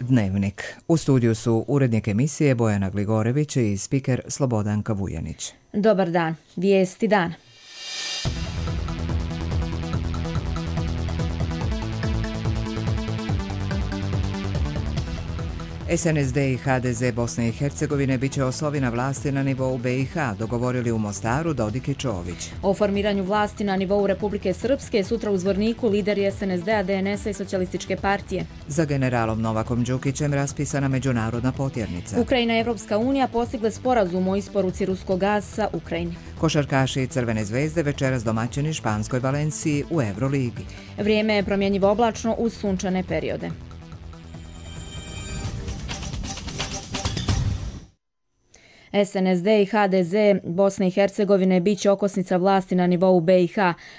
Dnevnik. U studiju su urednik emisije Bojana Gligorević i spiker Slobodanka Vujanić. Dobar dan. Vijesti dana. SNSD i HDZ Bosne i Hercegovine bit će osovina vlasti na nivou BiH, dogovorili u Mostaru Dodik i Čović. O formiranju vlasti na nivou Republike Srpske sutra u Zvorniku lideri SNSD-a, DNS-a i Socijalističke partije. Za generalom Novakom Đukićem raspisana međunarodna potjernica. Ukrajina i Evropska unija postigle sporazum o isporuci ruskog gasa Ukrajini. Košarkaši Crvene zvezde večeras domaćini Španskoj Valenciji u Euroligi. Vrijeme je promjenjivo oblačno uz sunčane periode. SNSD i HDZ Bosne i Hercegovine bit će okosnica vlasti na nivou BiH.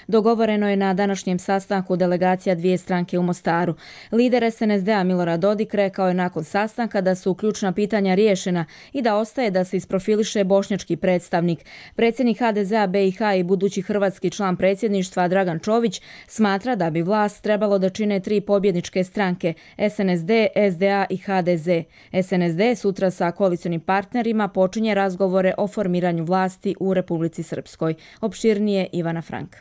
Dogovoreno je na današnjem sastanku delegacija dvije stranke u Mostaru. Lider SNSD-a Milorad Dodik rekao je nakon sastanka da su ključna pitanja riješena i da ostaje da se isprofiliše bošnjački predstavnik. Predsjednik HDZ-a BiH i budući hrvatski član predsjedništva Dragan Čović smatra da bi vlast trebalo da čine tri pobjedničke stranke SNSD, SDA i HDZ. SNSD sutra sa koalicionim partnerima počinje razgovore o formiranju vlasti u Republici Srpskoj. Opširnije Ivana Frank.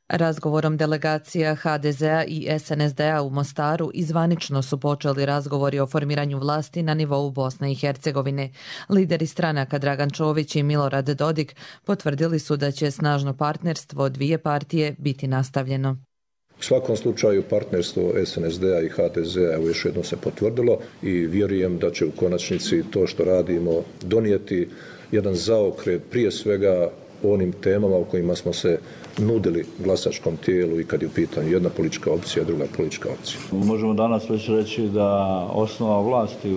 Razgovorom delegacija HDZ-a i SNSD-a u Mostaru zvanično su počeli razgovori o formiranju vlasti na nivou Bosne i Hercegovine. Lideri stranaka Dragan Čović i Milorad Dodik potvrdili su da će snažno partnerstvo dvije partije biti nastavljeno. U svakom slučaju partnerstvo SNSD-a i HDZ-a još jednom se potvrdilo i vjerujem da će u konačnici to što radimo donijeti jedan zaokret prije svega onim temama u kojima smo se nudili glasačkom tijelu i kad je u pitanju jedna politička opcija, druga politička opcija. Možemo danas već reći da osnova vlasti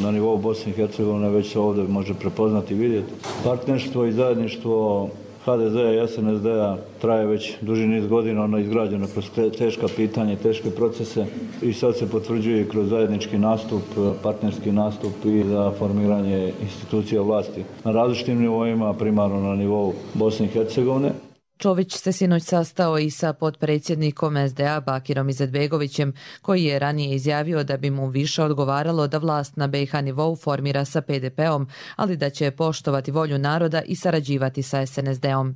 na nivou Bosne i Hercegovine već se ovdje može prepoznati i vidjeti. Partnerstvo i zajedništvo HDZ-a i SNSD-a traje već duži niz godina, ono je izgrađeno kroz teška pitanja, teške procese i sad se potvrđuje kroz zajednički nastup, partnerski nastup i za formiranje institucija vlasti na različitim nivoima, primarno na nivou Bosne i Hercegovine. Čović se sinoć sastao i sa potpredsjednikom SDA Bakirom Izetbegovićem, koji je ranije izjavio da bi mu više odgovaralo da vlast na BiH nivou formira sa PDP-om, ali da će poštovati volju naroda i sarađivati sa SNSD-om.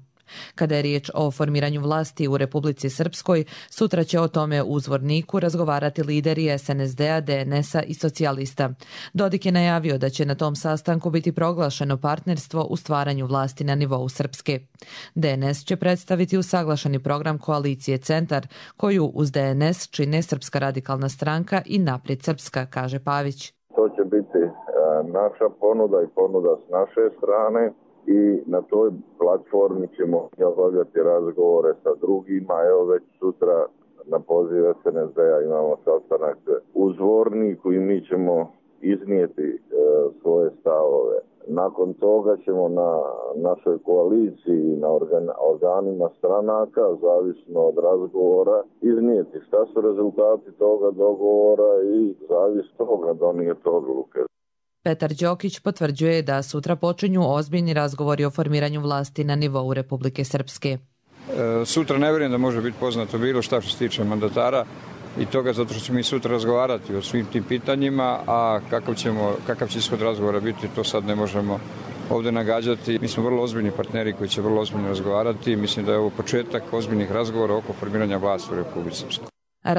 Kada je riječ o formiranju vlasti u Republici Srpskoj, sutra će o tome u Zvorniku razgovarati lideri SNSD-a, DNS-a i socijalista. Dodik je najavio da će na tom sastanku biti proglašeno partnerstvo u stvaranju vlasti na nivou Srpske. DNS će predstaviti usaglašeni program koalicije Centar, koju uz DNS čine Srpska radikalna stranka i Naprijed Srpska, kaže Pavić. To će biti naša ponuda i ponuda s naše strane. I na toj platformi ćemo obavljati razgovore sa drugima. Evo već sutra na poziv SNSD-a imamo sastanak u Zvorniku i mi ćemo iznijeti svoje stavove. Nakon toga ćemo na našoj koaliciji i na organima stranaka, zavisno od razgovora, iznijeti šta su rezultati toga dogovora i zavis toga donijeti odluke. Petar Đokić potvrđuje da sutra počinju ozbiljni razgovori o formiranju vlasti na nivou Republike Srpske. Sutra ne vjerujem da može biti poznato bilo šta što se tiče mandatara i toga zato što ćemo i sutra razgovarati o svim tim pitanjima, a kakav će ishod razgovora biti, to sad ne možemo ovdje nagađati. Mi smo vrlo ozbiljni partneri koji će vrlo ozbiljno razgovarati. Mislim da je ovo početak ozbiljnih razgovora oko formiranja vlasti u Republici Srpskoj.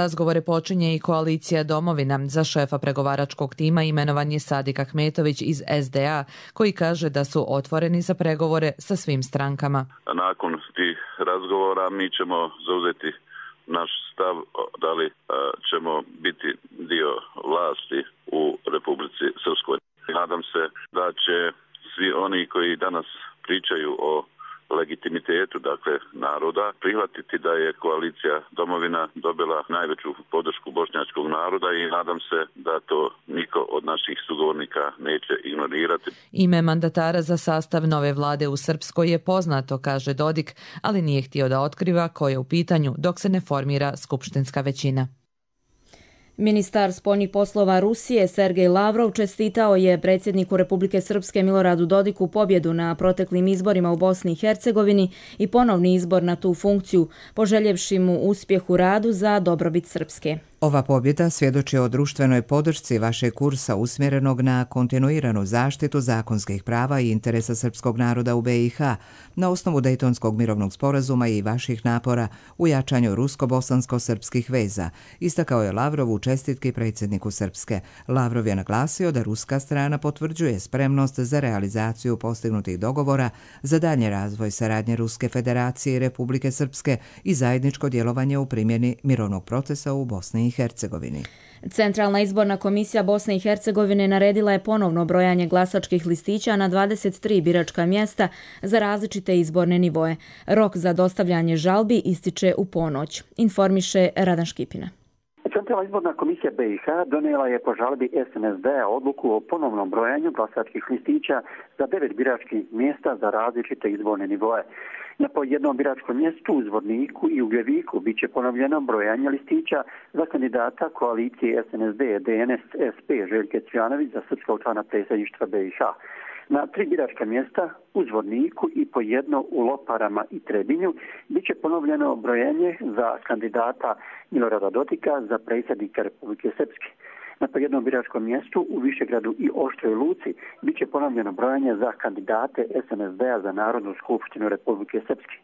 Razgovore počinje i koalicija Domovina. Za šefa pregovaračkog tima imenovan je Sadik Ahmetović iz SDA, koji kaže da su otvoreni za pregovore sa svim strankama. Nakon tih razgovora mi ćemo zauzeti naš stav da li ćemo biti dio vlasti u Republici Srpskoj. Nadam se da će svi oni koji danas pričaju o legitimitetu, dakle, naroda, prihvatiti da je koalicija Domovina dobila najveću podršku bošnjačkog naroda i nadam se da to niko od naših sugovornika neće ignorirati. Ime mandatara za sastav nove vlade u Srpskoj je poznato, kaže Dodik, ali nije htio da otkriva ko je u pitanju dok se ne formira skupštinska većina. Ministar spoljnih poslova Rusije Sergej Lavrov čestitao je predsjedniku Republike Srpske Miloradu Dodiku pobjedu na proteklim izborima u Bosni i Hercegovini i ponovni izbor na tu funkciju, poželjevši mu uspjeh u radu za dobrobit Srpske. Ova pobjeda svjedoči o društvenoj podršci vašeg kursa usmjerenog na kontinuiranu zaštitu zakonskih prava i interesa srpskog naroda u BiH na osnovu Dejtonskog mirovnog sporazuma i vaših napora u jačanju rusko-bosansko-srpskih veza, istakao je Lavrov u čestitki predsjedniku Srpske. Lavrov je naglasio da ruska strana potvrđuje spremnost za realizaciju postignutih dogovora za daljnji razvoj saradnje Ruske federacije i Republike Srpske i zajedničko djelovanje u primjeni mirovnog procesa u Bosni i Hercegovini. Centralna izborna komisija Bosne i Hercegovine naredila je ponovno brojanje glasačkih listića na 23 biračka mjesta za različite izborne nivoe. Rok za dostavljanje žalbi ističe u ponoć, informiše Radan Škipina. Centralna izborna komisija BiH donijela je po žalbi SNSD-a odluku o ponovnom brojanju glasačkih listića za 9 biračkih mjesta za različite izborne nivoe. Na po jednom biračkom mjestu u Zvorniku i Ugljeviku bit će ponovljeno brojanje listića za kandidata koalicije SNSD, DNS, SP Željke Cvjanović za srpskog člana predsjedništva BiH. Na 3 biračka mjesta u Zvorniku i po jedno u Loparama i Trebinju bit će ponovljeno brojenje za kandidata Milorada Dodika za predsjednika Republike Srpske. Na po jednom biračkom mjestu u Višegradu i Oštroj Luci bit će ponovljeno brojanje za kandidate SNSD-a za Narodnu skupštinu Republike Srpske.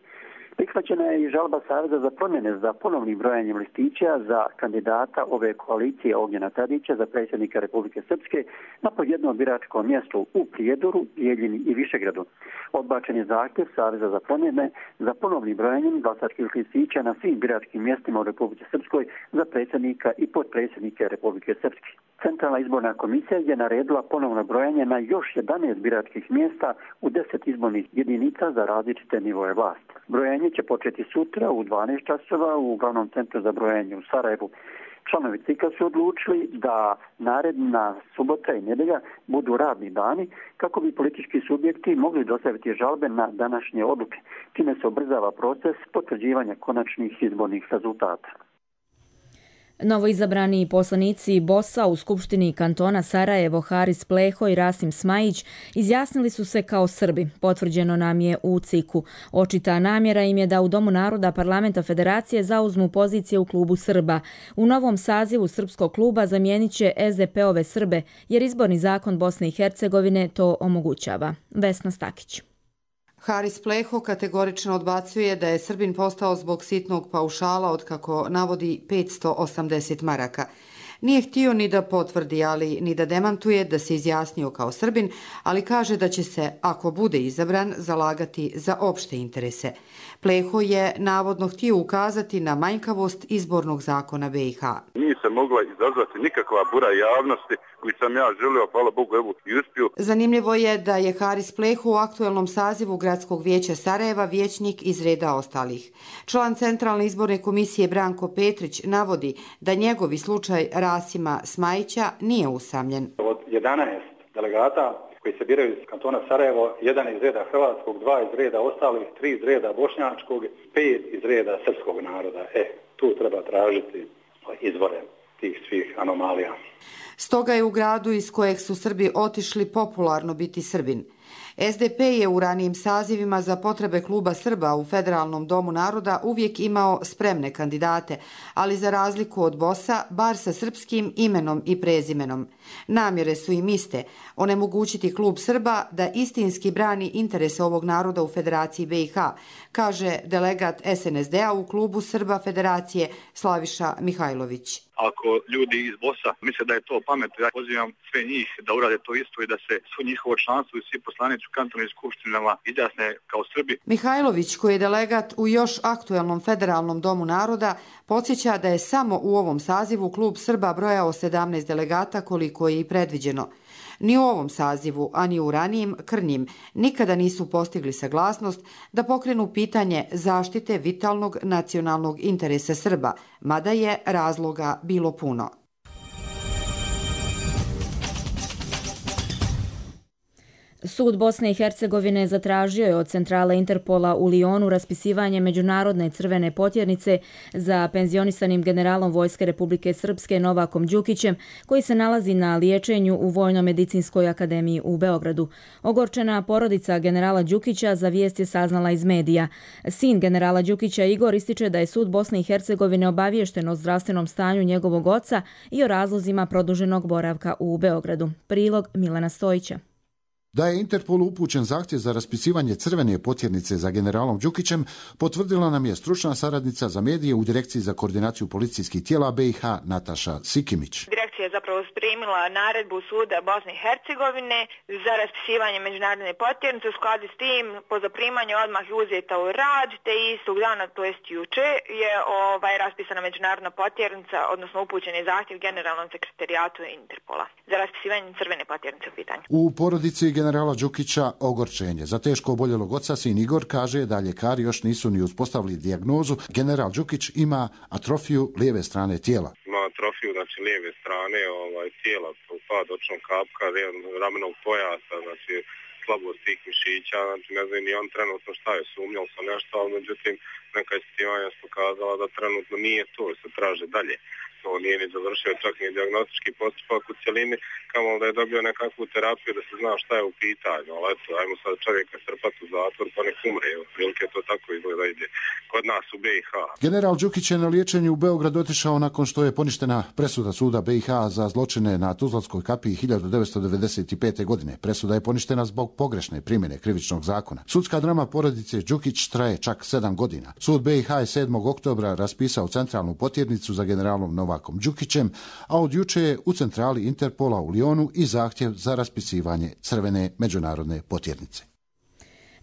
Prihvaćena je i žalba Saveza za promjene za ponovnim brojanjem listića za kandidata ove koalicije Ognjena Tadića za predsjednika Republike Srpske na po jednom biračkom mjestu u Prijedoru, Bijeljini i Višegradu. Odbačen je zahtjev Saveza za promjene za ponovnim brojanjem glasačkih listića na svim biračkim mjestima u Republike Srpskoj za predsjednika i potpredsjednike Republike Srpske. Centralna izborna komisija je naredila ponovno brojanje na još 11 biračkih mjesta u 10 izbornih jedinica za različite nivoje vlasti. Brojanje će početi sutra u 12 časova u glavnom centru za brojanje u Sarajevu. Članovi CIK-a su odlučili da naredna subota i nedjelja budu radni dani kako bi politički subjekti mogli dostaviti žalbe na današnje odluke. Time se ubrzava proces potvrđivanja konačnih izbornih rezultata. Novoizabrani poslanici BOS-a u Skupštini kantona Sarajevo Haris Pleho i Rasim Smajić izjasnili su se kao Srbi, potvrđeno nam je u CIK-u. Očita namjera im je da u Domu naroda Parlamenta Federacije zauzmu pozicije u klubu Srba. U novom sazivu Srpskog kluba zamijenit će SDP-ove Srbe, jer izborni zakon Bosne i Hercegovine to omogućava. Vesna Stakić. Haris Pleho kategorično odbacuje da je Srbin postao zbog sitnog paušala od, kako navodi, 580 maraka. Nije htio ni da potvrdi, ali ni da demantuje da se izjasnio kao Srbin, ali kaže da će se, ako bude izabran, zalagati za opšte interese. Pleho je navodno htio ukazati na manjkavost izbornog zakona BiH. Nije se mogla izazvati nikakva bura javnosti koji sam ja želio, hvala Bogu, evo i uspio. Zanimljivo je da je Haris Pleho u aktuelnom sazivu Gradskog vijeća Sarajeva vijećnik iz reda ostalih. Član Centralne izborne komisije Branko Petrić navodi da njegovi slučaj Rasima Smajića nije usamljen. Od 11 delegata koji se biraju iz kantona Sarajevo, 1 iz reda hrvatskog, 2 iz reda ostalih, 3 iz reda bošnjačkog, 5 iz reda srpskog naroda. Tu treba tražiti izvore tih svih anomalija. Stoga je u gradu iz kojeg su Srbi otišli popularno biti Srbin. SDP je u ranijim sazivima za potrebe kluba Srba u Federalnom domu naroda uvijek imao spremne kandidate, ali za razliku od BOS-a, bar sa srpskim imenom i prezimenom. Namjere su im iste, onemogućiti klub Srba da istinski brani interese ovog naroda u Federaciji BiH, kaže delegat SNSD-a u klubu Srba Federacije Slaviša Mihajlović. Ako ljudi iz BOS-a misle da je to pametno, ja pozivam sve njih da urade to isto i da se svo njihovo članstvo i svi poslanici u kantonalnim skupštinama izjasne kao Srbi. Mihajlović, koji je delegat u još aktuelnom Federalnom domu naroda, podsjeća da je samo u ovom sazivu klub Srba brojao 17 delegata koliko je i predviđeno. Ni u ovom sazivu, a ni u ranijim krnjim nikada nisu postigli saglasnost da pokrenu pitanje zaštite vitalnog nacionalnog interesa Srba, mada je razloga bilo puno. Sud Bosne i Hercegovine zatražio je od centrale Interpola u Lionu raspisivanje međunarodne crvene potjernice za penzionisanim generalom Vojske Republike Srpske Novakom Đukićem, koji se nalazi na liječenju u Vojno-medicinskoj akademiji u Beogradu. Ogorčena porodica generala Đukića za vijest je saznala iz medija. Sin generala Đukića Igor ističe da je Sud Bosne i Hercegovine obaviješten o zdravstvenom stanju njegovog oca i o razlozima produženog boravka u Beogradu. Prilog Milena Stojića. Da je Interpolu upućen zahtjev za raspisivanje crvene potjernice za generalom Đukićem, potvrdila nam je stručna saradnica za medije u Direkciji za koordinaciju policijskih tijela BiH Nataša Sikimić. Direkcija je zapravo primila naredbu Suda Bosne i Hercegovine za raspisivanje međunarodne potjernice. U skladu s tim, po zaprimanju odmah je uzeta u rad, te istog dana, to jest juče, je raspisana međunarodna potjernica, odnosno upućen je zahtjev generalnom sekretarijatu Interpola za raspisivanje crvene potjernice u pitanju. U porodici generala Đukića ogorčenje. Za teško oboljelog oca sin Igor kaže da ljekari još nisu ni uspostavili dijagnozu. General Đukić ima atrofiju lijeve strane tijela. Ima atrofiju, znači lijeve strane tijela, pad očnog kapka, ramenog pojasa, znači slabost tih mišića, znači ne znam ni on trenutno šta je, sumnjao sam nešto, ali međutim neka ispitivanja su pokazala da trenutno nije to, se traže dalje. To nije ni završio čak ni dijagnostički postupak u cjelini, kamo da je dobio nekakvu terapiju da se zna šta je u pitanju, ali eto, ajmo sad čovjeka strpati u zatvor pa nek umre, otprilike to tako izgleda ide kod nas u BiH. General Đukić je na liječenju u Beograd otišao nakon što je poništena presuda suda BiH za zločine na Tuzlanskoj kapiji 1995. godine. Presuda je poništena zbog pogrešne primjene krivičnog zakona. Sudska drama porodice Đukić traje čak 7 godina. Sud BiH je 7. oktobra raspisao centralnu potjernicu za generalom Novakom Đukićem, a od juče je u centrali Interpola u Lionu i zahtjev za raspisivanje crvene međunarodne potjernice.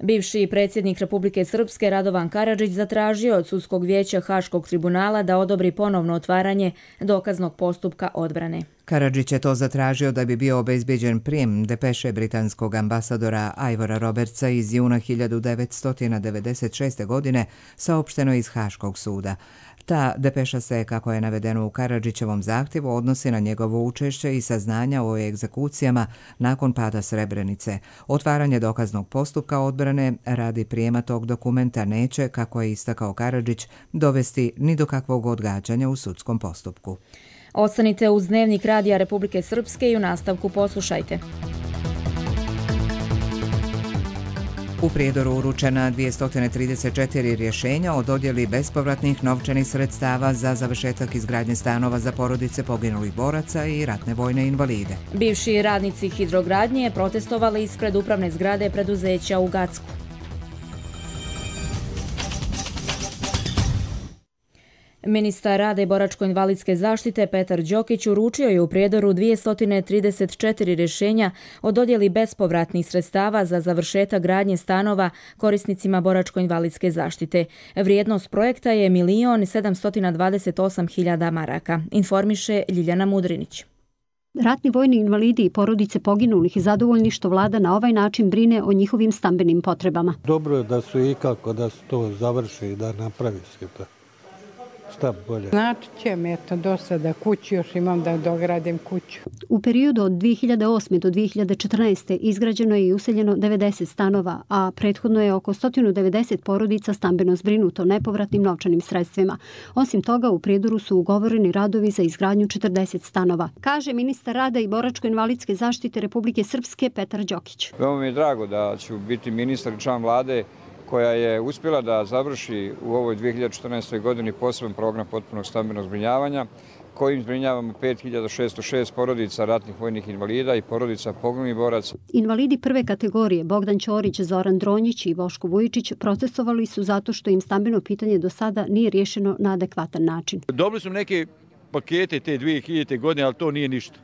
Bivši predsjednik Republike Srpske Radovan Karadžić zatražio od sudskog vijeća Haškog tribunala da odobri ponovno otvaranje dokaznog postupka odbrane. Karadžić je to zatražio da bi bio obezbijeđen prijem depeše britanskog ambasadora Ivora Robertsa iz juna 1996. godine, saopšteno iz Haškog suda. Ta depeša se, kako je navedeno u Karadžićevom zahtjevu, odnosi na njegovo učešće i saznanja o egzekucijama nakon pada Srebrenice. Otvaranje dokaznog postupka odbrane radi prijema tog dokumenta neće, kako je istakao Karadžić, dovesti ni do kakvog odgađanja u sudskom postupku. Ostanite uz Dnevnik Radija Republike Srpske i u nastavku poslušajte. U Prijedoru uručena 234 rješenja o dodjeli bespovratnih novčanih sredstava za završetak izgradnje stanova za porodice poginulih boraca i ratne vojne invalide. Bivši radnici hidrogradnje protestovali ispred upravne zgrade preduzeća u Gacku. Ministar rada i boračko-invalidske zaštite Petar Đokić uručio je u Prijedoru 234 rješenja o dodjeli bespovratnih sredstava za završetak gradnje stanova korisnicima boračko-invalidske zaštite. Vrijednost projekta je 1.728.000 maraka, informiše Ljiljana Mudrinić. Ratni vojni invalidi i porodice poginulih i zadovoljni što vlada na ovaj način brine o njihovim stambenim potrebama. Dobro je da su ikako da se to završi i da napravi se to. Šta bolje? Znači će mi do sada kuću, još imam da dogradim kuću. U periodu od 2008. do 2014. izgrađeno je i useljeno 90 stanova, a prethodno je oko 190 porodica stambeno zbrinuto nepovratnim novčanim sredstvima. Osim toga, u Prijedoru su ugovoreni radovi za izgradnju 40 stanova, kaže ministar rada i boračko-invalidske zaštite Republike Srpske Petar Đokić. Veoma mi je drago da ću biti ministar i član vlade koja je uspjela da završi u ovoj 2014. godini poseban program potpunog stambenog zbrinjavanja, kojim zbrinjavamo 5606 porodica ratnih vojnih invalida i porodica poginulih boraca. Invalidi prve kategorije Bogdan Ćorić, Zoran Dronjić i Boško Vujičić protestovali su zato što im stambeno pitanje do sada nije riješeno na adekvatan način. Dobili smo neke pakete te 2000. godine, ali to nije ništa.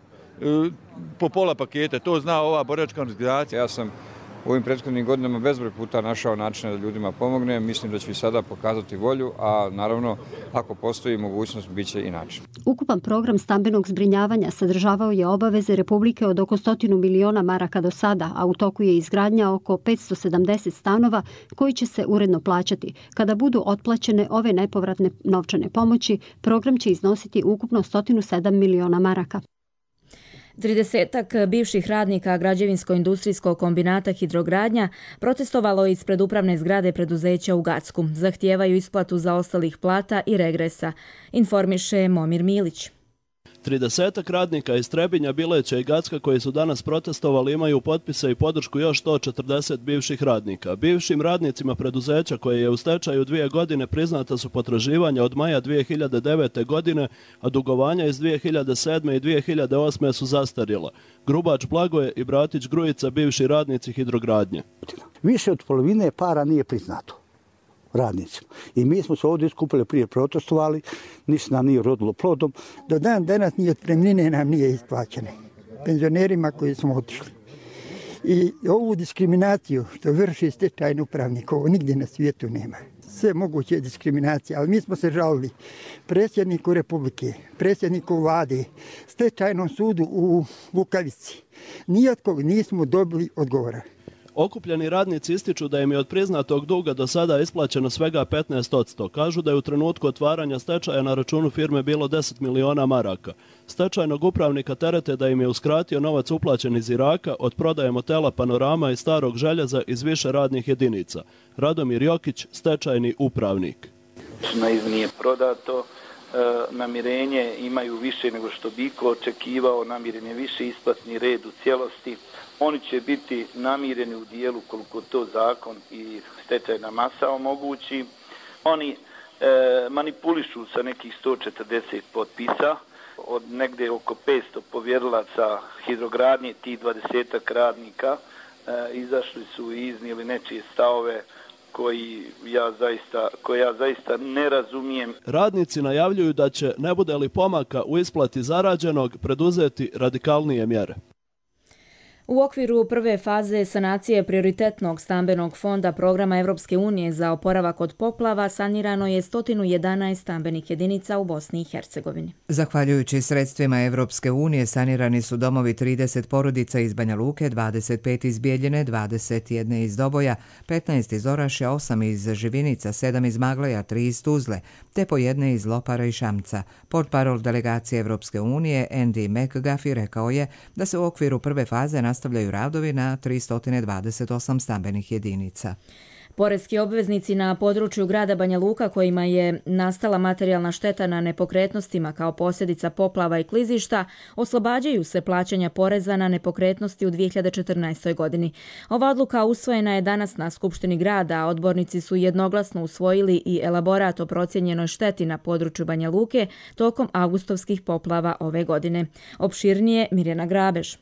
Po pola paketa, to zna ova boračka organizacija. Ja sam u ovim prethodnim godinama bezbroj puta našao načine da ljudima pomogne. Mislim da ću i sada pokazati volju, a naravno ako postoji mogućnost, bit će i način. Ukupan program stambenog zbrinjavanja sadržavao je obaveze Republike od oko 100 miliona maraka do sada, a u toku je izgradnja oko 570 stanova koji će se uredno plaćati. Kada budu otplaćene ove nepovratne novčane pomoći, program će iznositi ukupno 107 miliona maraka. 30 bivših radnika građevinsko-industrijskog kombinata Hidrogradnja protestovalo ispred upravne zgrade preduzeća u Gacku. Zahtijevaju isplatu zaostalih plata i regresa, informiše Momir Milić. 30 radnika iz Trebinja, Bileća i Gacka koji su danas protestovali imaju potpise i podršku još 140 bivših radnika. Bivšim radnicima preduzeća koje je u stečaju 2 godine priznata su potraživanja od maja 2009. godine, a dugovanja iz 2007. i 2008. su zastarjela. Grubač Blagoje i Bratić Grujica, bivši radnici Hidrogradnje. Više od polovine para nije priznato radnicima. I mi smo se ovdje skupili prije protestovali, ništa nam nije rodilo plodom. Do dan danas ni otpremnine nam nije isplaćene. Penzionerima koji smo otišli. I ovu diskriminaciju što vrši stečajni upravnik, ovo nigdje na svijetu nema. Sve moguće diskriminacije, ali mi smo se žalili predsjedniku Republike, predsjedniku vlade, stečajnom sudu u Vukavici. Nijakog nismo dobili odgovora. Okupljeni radnici ističu da im je od priznatog duga do sada isplaćeno svega 15%. Kažu da je u trenutku otvaranja stečaja na računu firme bilo 10 miliona maraka. Stečajnog upravnika terete da im je uskratio novac uplaćen iz Iraka od prodaje motela Panorama i Starog željeza iz više radnih jedinica. Radomir Jokić, stečajni upravnik. Nije prodato, namirenje imaju više nego što bi iko očekivao, namiren je više isplatni red u cijelosti. Oni će biti namireni u dijelu koliko to zakon i stečajna masa omogući. Oni manipulišu sa nekih 140 potpisa, od negde oko 500 povjerilaca Hidrogradnje, tih 20 radnika izašli su i iznijeli nečije stavove koje ja zaista ne razumijem. Radnici najavljuju da će, ne bude li pomaka u isplati zarađenog, preduzeti radikalnije mjere. U okviru prve faze sanacije prioritetnog stambenog fonda programa Evropske unije za oporavak od poplava sanirano je 111 stambenih jedinica u Bosni i Hercegovini. Zahvaljujući sredstvima Evropske unije sanirani su domovi 30 porodica iz Banja Luke, 25 iz Bijeljine, 21 iz Doboja, 15 iz Orašja, 8 iz Živinica, 7 iz Magleja, 3 iz Tuzle, te po jedne iz Lopara i Šamca. Portparol delegacije Evropske unije Andy McGuffey rekao je da se u okviru prve faze nastavljaju radovi na 328 stambenih jedinica. Poreski obveznici na području grada Banja Luka kojima je nastala materijalna šteta na nepokretnostima kao posljedica poplava i klizišta oslobađaju se plaćanja poreza na nepokretnosti u 2014. godini. Ova odluka usvojena je danas na Skupštini grada, a odbornici su jednoglasno usvojili i elaborat o procijenjenoj šteti na području Banja Luke tokom avgustovskih poplava ove godine. Opširnije Mirjana Grabež.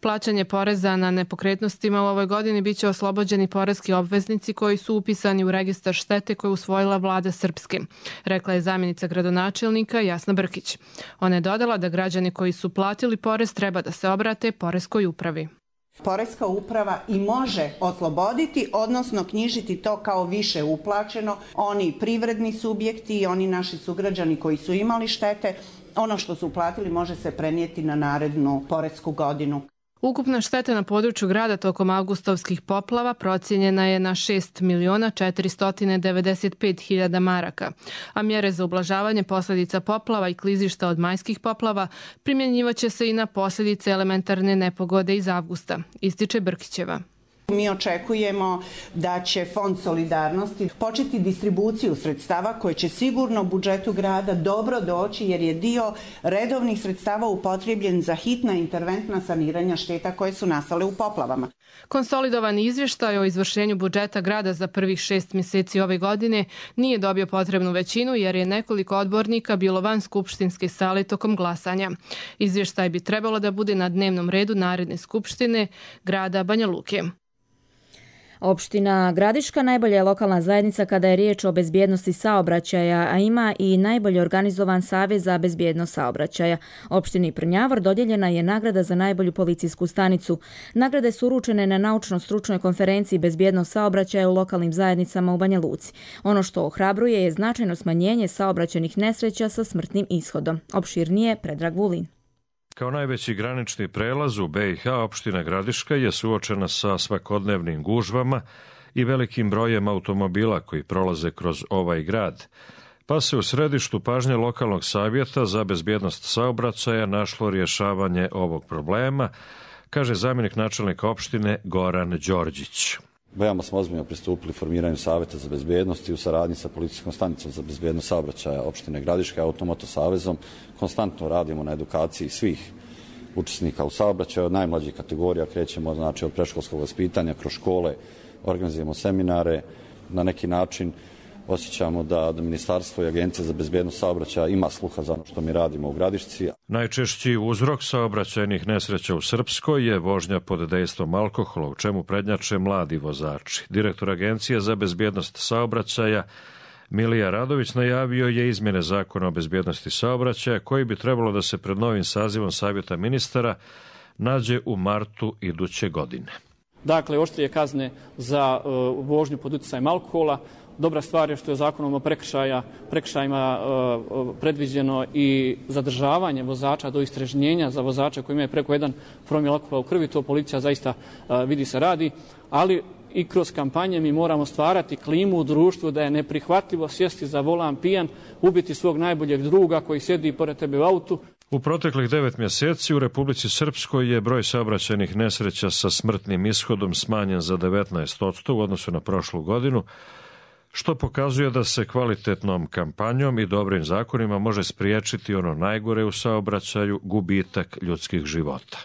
Plaćanje poreza na nepokretnostima u ovoj godini biće oslobođeni poreski obveznici koji su upisani u registar štete koju usvojila vlada Srpske, rekla je zamjenica gradonačelnika Jasna Brkić. Ona je dodala da građani koji su platili porez treba da se obrate poreskoj upravi. Poreska uprava i može osloboditi, odnosno knjižiti to kao više uplaćeno. Oni privredni subjekti i oni naši sugrađani koji su imali štete, ono što su uplatili može se prenijeti na narednu poresku godinu. Ukupna šteta na području grada tokom avgustovskih poplava procijenjena je na 6.495.000 maraka, a mjere za ublažavanje posljedica poplava i klizišta od majskih poplava primjenjivaće se i na posljedice elementarne nepogode iz avgusta, ističe Brkićeva. Mi očekujemo da će Fond solidarnosti početi distribuciju sredstava koje će sigurno budžetu grada dobro doći jer je dio redovnih sredstava upotrebljen za hitna interventna saniranja šteta koje su nastale u poplavama. Konsolidovani izvještaj o izvršenju budžeta grada za prvih 6 mjeseci ove godine nije dobio potrebnu većinu jer je nekoliko odbornika bilo van skupštinske sale tokom glasanja. Izvještaj bi trebalo da bude na dnevnom redu naredne skupštine grada Banja Luke. Opština Gradiška najbolja je lokalna zajednica kada je riječ o bezbjednosti saobraćaja, a ima i najbolje organizovan savez za bezbjednost saobraćaja. Opštini Prnjavor dodijeljena je nagrada za najbolju policijsku stanicu. Nagrade su uručene na naučno-stručnoj konferenciji bezbjednost saobraćaja u lokalnim zajednicama u Banja Luci. Ono što ohrabruje je značajno smanjenje saobraćajnih nesreća sa smrtnim ishodom. Opširnije Predrag Vulin. Kao najveći granični prelaz u BiH, opština Gradiška je suočena sa svakodnevnim gužvama i velikim brojem automobila koji prolaze kroz ovaj grad. pa se u središtu pažnje lokalnog savjeta za bezbjednost saobraćaja našlo rješavanje ovog problema, kaže zamjenik načelnika opštine Goran Đorđić. Veoma smo ozbiljno pristupili formiranju Savjeta za bezbjednost i u saradnji sa policijskom stanicom za bezbjednost saobraćaja opštine Gradiška i Automoto savezom konstantno radimo na edukaciji svih učesnika u saobraćaju, od najmlađih kategorija krećemo, znači od predškolskog vaspitanja kroz škole, organizujemo seminare, na neki način osjećamo da Ministarstvo i Agencija za bezbjednost saobraćaja ima sluha za ono što mi radimo u Gradišci. Najčešći uzrok saobraćajnih nesreća u Srpskoj je vožnja pod dejstvom alkohola, u čemu prednjače mladi vozači. Direktor Agencije za bezbjednost saobraćaja Milija Radović najavio je izmjene zakona o bezbjednosti saobraćaja koji bi trebalo da se pred novim sazivom Savjeta ministara nađe u martu iduće godine. Dakle, oštrije kazne za vožnju pod utjecajem alkohola. Dobra stvar je što je zakonom o prekršajima predviđeno i zadržavanje vozača do istrežnjenja za vozača koji imaju preko 1 promil alkohola u krvi. To policija zaista vidi se radi, ali i kroz kampanje mi moramo stvarati klimu u društvu da je neprihvatljivo sjesti za volan pijan, ubiti svog najboljeg druga koji sjedi pored tebe u autu. U proteklih 9 mjeseci u Republici Srpskoj je broj saobraćajnih nesreća sa smrtnim ishodom smanjen za 19% u odnosu na prošlu godinu, što pokazuje da se kvalitetnom kampanjom i dobrim zakonima može spriječiti ono najgore u saobraćaju, gubitak ljudskih života.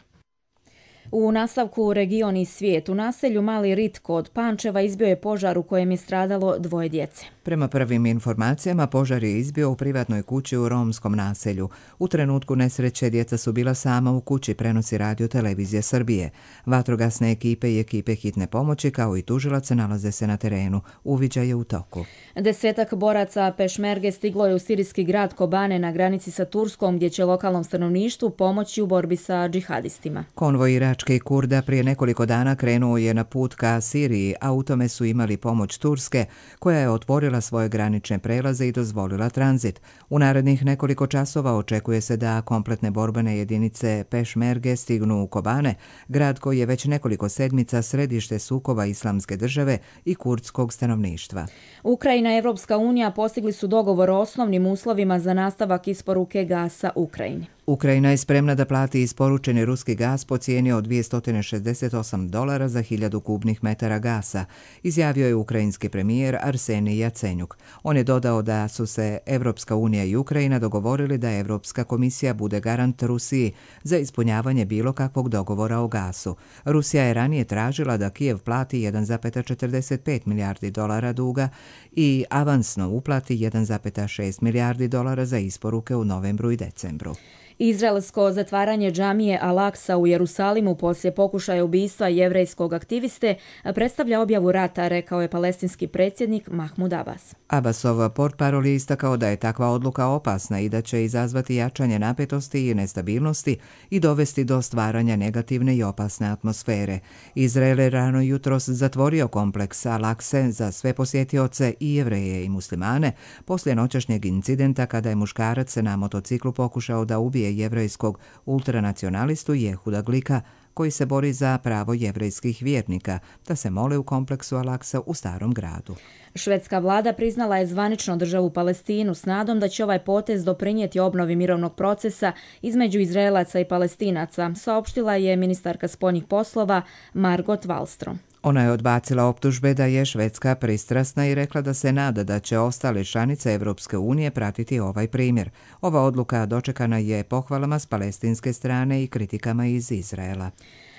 U nastavku region i svijet, u naselju Mali Rit kod Pančeva izbio je požar u kojem je stradalo 2 djece. Prema prvim informacijama, požar je izbio u privatnoj kući u romskom naselju. U trenutku nesreće djeca su bila sama u kući, prenosi Radio Televizija Srbije. Vatrogasne ekipe i ekipe hitne pomoći kao i tužilac nalaze se na terenu. Uviđaj je u toku. 10 boraca Pešmerge stiglo je u sirijski grad Kobane na granici sa Turskom, gdje će lokalnom stanovništvu pomoći u borbi sa džihadistima. Konvoj iračke Kurda prije nekoliko dana krenuo je na put ka Siriji, a u tome su imali pomoć Turske, koja je otvorila svoje granične prelaze i dozvolila tranzit. U narednih nekoliko časova očekuje se da kompletne borbene jedinice Pešmerge stignu u Kobane, grad koji je već nekoliko sedmica središte sukoba Islamske države i kurdskog stanovništva. Ukrajina i Evropska unija postigli su dogovor o osnovnim uslovima za nastavak isporuke gasa Ukrajini. Ukrajina je spremna da plati isporučeni ruski gas po cijeni od $268 za 1000 kubnih metara gasa, izjavio je ukrajinski premijer Arsenij Jacenjuk. On je dodao da su se Evropska unija i Ukrajina dogovorili da Evropska komisija bude garant Rusiji za ispunjavanje bilo kakvog dogovora o gasu. Rusija je ranije tražila da Kijev plati $1,45 milijardi duga i avansno uplati $1,6 milijardi za isporuke u novembru i decembru. Izraelsko zatvaranje džamije Al-Aksa u Jerusalimu poslije pokušaja ubistva jevrejskog aktiviste predstavlja objavu rata, rekao je palestinski predsjednik Mahmud Abbas. Abbasov portparol je istakao da je takva odluka opasna i da će izazvati jačanje napetosti i nestabilnosti i dovesti do stvaranja negativne i opasne atmosfere. Izrael je rano jutros zatvorio kompleks Al-Akse za sve posjetioce i jevreje i muslimane poslije noćašnjeg incidenta kada je muškarac na motociklu pokušao da ubije jevrejskog ultranacionalistu Jehuda Glika, koji se bori za pravo jevrejskih vjernika da se mole u kompleksu Al-Aksa u Starom gradu. Švedska vlada priznala je zvanično državu Palestinu s nadom da će ovaj potez doprinijeti obnovi mirovnog procesa između Izraelaca i Palestinaca, saopštila je ministarka spoljnih poslova Margot Wallström. Ona je odbacila optužbe da je Švedska pristrasna i rekla da se nada da će ostale članice Evropske unije pratiti ovaj primjer. Ova odluka dočekana je pohvalama s palestinske strane i kritikama iz Izraela.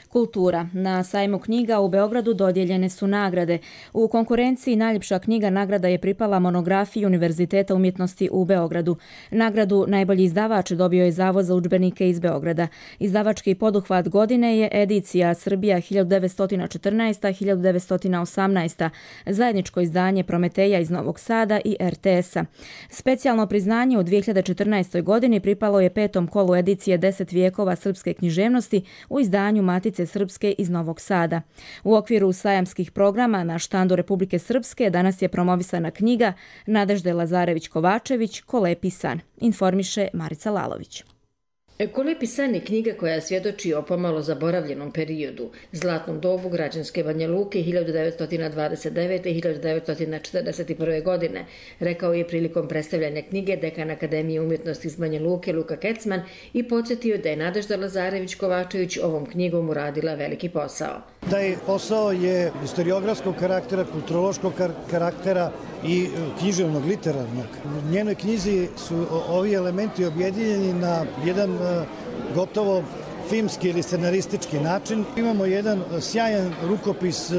Kultura. Na sajmu knjiga u Beogradu dodijeljene su nagrade. U konkurenciji najljepša knjiga nagrada je pripala monografiji Univerziteta umjetnosti u Beogradu. Nagradu najbolji izdavač dobio je Zavod za udžbenike iz Beograda. Izdavački poduhvat godine je edicija Srbija 1914-1918, zajedničko izdanje Prometeja iz Novog Sada i RTS-a. Specijalno priznanje u 2014. godini pripalo je 5. kolu edicije 10 vijekova srpske književnosti u izdanju Matice Srpske iz Novog Sada. U okviru sajamskih programa na štandu Republike Srpske danas je promovisana knjiga Nadežde Lazarević-Kovačević Ko lepi san, informiše Marica Lalović. Ekole pisanje knjiga koja svjedoči o pomalo zaboravljenom periodu, zlatnom dobu građanske Banja Luke 1929. i 1941. godine, rekao je prilikom predstavljanja knjige dekan Akademije umjetnosti iz Banja Luke Luka Kecman i podsjetio da je Nadežda Lazarević-Kovačević ovom knjigom uradila veliki posao. Taj posao je historiografskog karaktera, kulturološkog karaktera i književnog, literarnog. U njenoj knjizi su ovi elementi objedinjeni na jedan gotovo filmski ili scenaristički način. Imamo jedan sjajan rukopis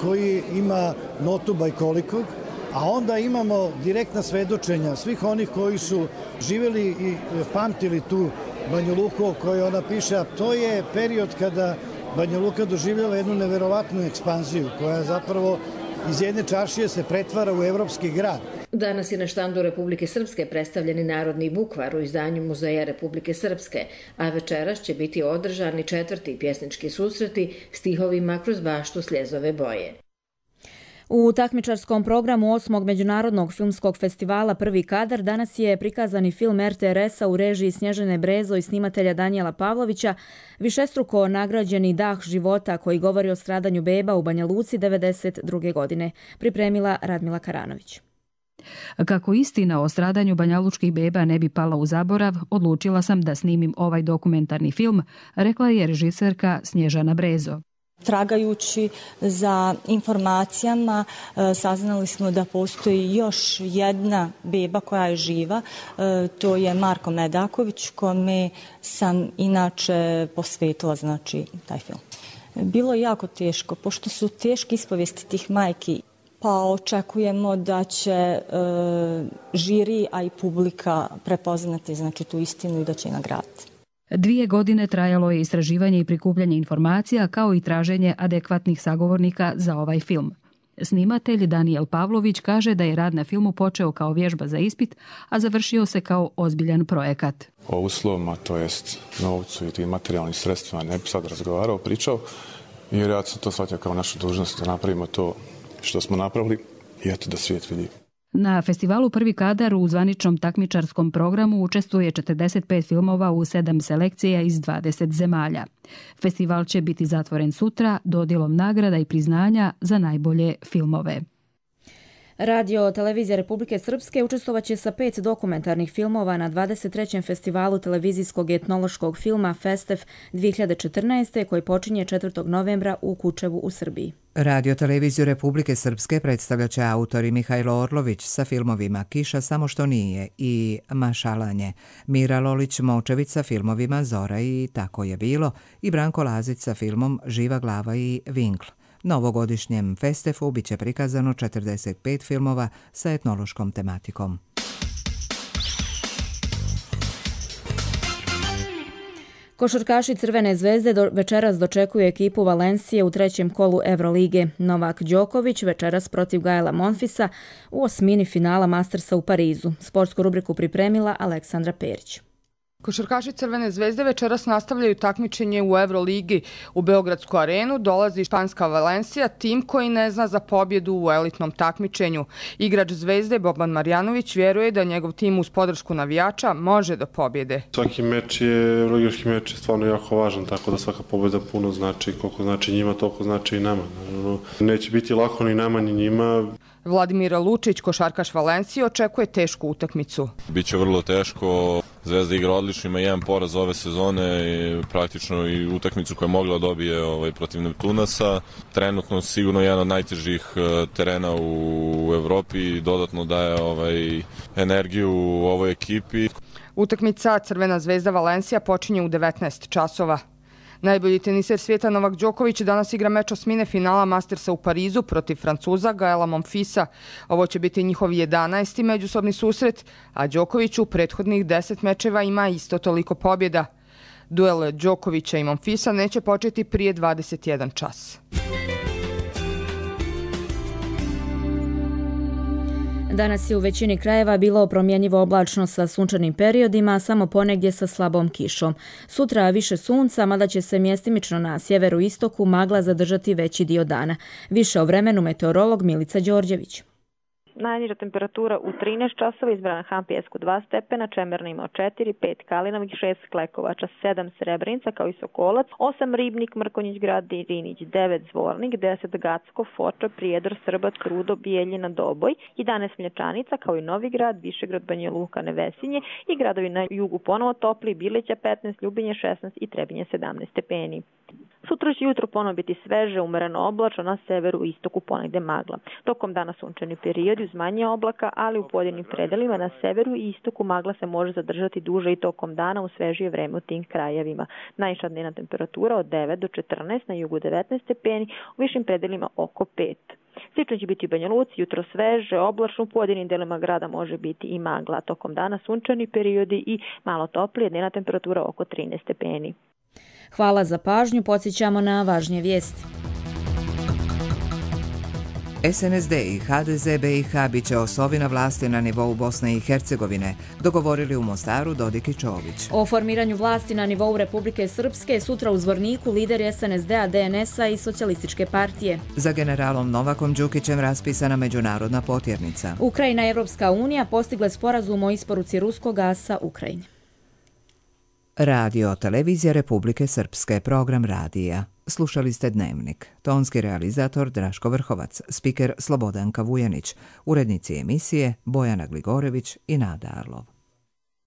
koji ima notu bajkolikog, a onda imamo direktna svedočenja svih onih koji su živjeli i pamtili tu Banju Luku o kojoj ona piše, a to je period kada Banja Luka doživljava jednu neverovatnu ekspanziju koja zapravo iz jedne čaršije se pretvara u evropski grad. Danas je na štandu Republike Srpske predstavljeni narodni bukvar u izdanju Muzeja Republike Srpske, a večeras će biti održani 4. pjesnički susreti stihovima kroz baštu Sljezove boje. U takmičarskom programu 8. Međunarodnog filmskog festivala Prvi kadar danas je prikazani film RTRS-a u režiji Snježane Brezo i snimatelja Danijela Pavlovića, višestruko nagrađeni Dah života koji govori o stradanju beba u Banja Luci 1992. godine, pripremila Radmila Karanović. Kako istina o stradanju banjalučkih beba ne bi pala u zaborav, odlučila sam da snimim ovaj dokumentarni film, rekla je režiserka Snježana Brezo. Tragajući za informacijama saznali smo da postoji još jedna beba koja je živa, to je Marko Medaković, kome sam inače posvetila taj film. Bilo je jako teško, pošto su teške ispovijesti tih majki, pa očekujemo da će žiri, a i publika prepoznati tu istinu i da će je nagraditi. 2 godine trajalo je istraživanje i prikupljanje informacija kao i traženje adekvatnih sagovornika za ovaj film. Snimatelj Danijel Pavlović kaže da je rad na filmu počeo kao vježba za ispit, a završio se kao ozbiljan projekat. O uslovima, to jest novcu i tim materijalnim sredstvima ne bi sad razgovarao, pričao, jer ja sam to shvatio kao našu dužnost da napravimo to što smo napravili i eto da svijet vidi. Na festivalu Prvi kadar u zvaničnom takmičarskom programu učestvuje 45 filmova u 7 selekcija iz 20 zemalja. Festival će biti zatvoren sutra dodjelom nagrada i priznanja za najbolje filmove. Radio Televizija Republike Srpske učestvovaće sa 5 dokumentarnih filmova na 23. festivalu televizijskog i etnološkog filma Festef 2014. koji počinje 4. novembra u Kučevu u Srbiji. Radio Televiziju Republike Srpske predstavljat će autori Mihajlo Orlović sa filmovima Kiša samo što nije i Mašalanje, Mira Lolić-Močević sa filmovima Zora i Tako je bilo i Branko Lazić sa filmom Živa glava i Vinkl. Na ovogodišnjem Festefu biće prikazano 45 filmova sa etnološkom tematikom. Košarkaši Crvene zvezde večeras dočekuju ekipu Valencije u 3. kolu Evrolige. Novak Đoković večeras protiv Gaela Monfisa u osmini finala Mastersa u Parizu. Sportsku rubriku pripremila Aleksandra Perić. Košarkaši Crvene zvezde večeras nastavljaju takmičenje u Euroligi. U Beogradsku arenu dolazi španska Valencija, tim koji ne zna za pobjedu u elitnom takmičenju. Igrač Zvezde Boban Marjanović vjeruje da njegov tim uz podršku navijača može do pobjede. Svaki meč je, euroligaški meč je stvarno jako važan, tako da svaka pobjeda puno znači. Koliko znači njima, toliko znači i nama. Neće biti lako ni nama ni njima. Vladimir Lučić, košarkaš Valencije, očekuje tešku utakmicu. Biće vrlo teško. Zvezda igra odlično, ima jedan poraz ove sezone i praktično i utakmicu koju je mogla dobije protiv Neptunasa. Trenutno sigurno jedan od najtežih terena u Evropi i dodatno daje energiju u ovoj ekipi. Utakmica Crvena zvezda Valencija počinje u 19 časova. Najbolji teniser svijeta Novak Đoković danas igra meč osmine finala Mastersa u Parizu protiv Francuza Gaela Monfisa. Ovo će biti njihov 11. međusobni susret, a Đoković u prethodnih 10 mečeva ima isto toliko pobjeda. Duel Đokovića i Monfisa neće početi prije 21 čas. Danas je u većini krajeva bilo promjenjivo oblačno sa sunčanim periodima, samo ponegdje sa slabom kišom. Sutra više sunca, mada će se mjestimično na sjeveru i istoku magla zadržati veći dio dana. Više o vremenu meteorolog Milica Đorđević. Najniža temperatura u 13 časova izbrana Hampijesku 2 stepena, Čemerna imao 4, 5 Kalinovih, 6 Klekovača, 7 Srebrenica kao i Sokolac, 8 Ribnik, Mrkonjić grad, Rinić, 9 Zvornik, 10 Gacko, Foča, Prijedor, Srbac, Rudo, Bijeljina, Doboj, 11 Mlječanica kao i Novi grad, Višegrad, Banja Luka, Nevesinje i gradovi na jugu ponovo topli, Bileća 15, Ljubinje 16 i Trebinje 17 stepeni. Sutra će jutro ponovo biti sveže, umereno oblačno, na severu i istoku ponegde magla. Tokom dana sunčani periodi uz manje oblaka, ali u pojedinim predelima na severu i istoku magla se može zadržati duže i tokom dana u svežije vreme u tim krajevima. Najviša dnevna temperatura od 9 do 14, na jugu 19 stepeni, u višim predelima oko 5. Slično će biti u Banja Luci, jutro sveže, oblačno, u pojedinim delima grada može biti i magla. Tokom dana sunčani periodi i malo toplije, dnevna temperatura oko 13 stepeni. Hvala za pažnju, podsjećamo na važnije vijesti. SNSD i HDZ BiH bit će osovi na vlasti na nivou Bosne i Hercegovine, dogovorili u Mostaru Dodik i Čović. O formiranju vlasti na nivou Republike Srpske sutra u Zvorniku lideri SNSD-a, DNS-a i Socijalističke partije. Za generalom Novakom Đukićem raspisana međunarodna potjernica. Ukrajina i Evropska unija postigle sporazum o isporuci ruskog gasa Ukrajini. Radio Televizija Republike Srpske, program radija. Slušali ste Dnevnik. Tonski realizator Draško Vrhovac, spiker Slobodanka Vujanić, urednici emisije Bojana Gligorević i Nada Arlov.